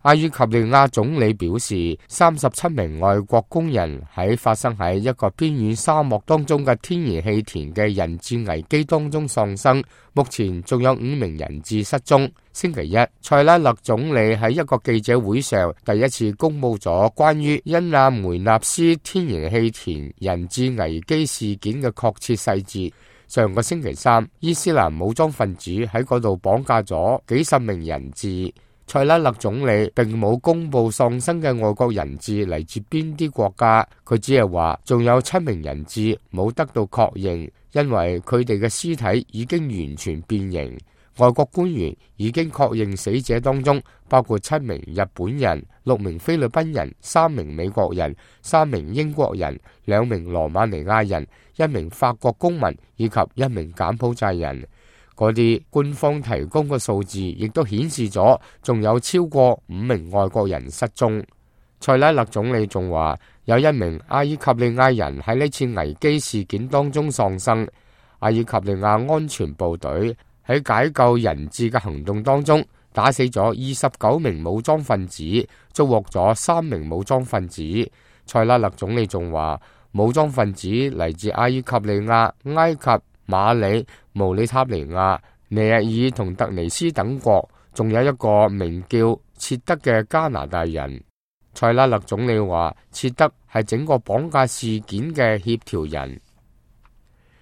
阿爾及利亞總理表示，37名外國工人喺發生喺一個邊遠沙漠當中嘅天然氣田嘅人質危機當中喪生，目前仲有5名人質失蹤。星期一，塞拉勒總理喺一個記者會上第一次公布咗關於恩亞梅納斯天然氣田人質危機事件嘅確切細節。上個星期三，伊斯蘭武裝分子喺嗰度綁架咗幾十名人質。塞拉勒總理並冇公布喪生嘅外國人質嚟自邊啲國家，佢只係話仲有7名人質冇得到確認，因為佢哋嘅屍體已經完全變形。外國官員已經確認死者當中包括7名日本人、6名菲律賓人、3名美國人、3名英國人、2名羅馬尼亞人、1名法國公民以及1名柬埔寨人。嗰啲官方提供嘅數字亦都顯示咗，仲有超過5名外國人失蹤。塞拉勒總理仲話，有1名阿爾及利亞人喺呢次危機事件當中喪生。阿爾及利亞安全部隊喺解救人質嘅行動當中，打死咗29名武裝分子，捉獲咗3名武裝分子。塞拉勒總理仲話，武裝分子嚟自阿爾及利亞、埃及、馬里、毛里塔尼亞、尼日爾同突尼斯等國，仲有一個名叫切德嘅加拿大人。塞拉勒總理話，切德係整個綁架事件嘅協調人。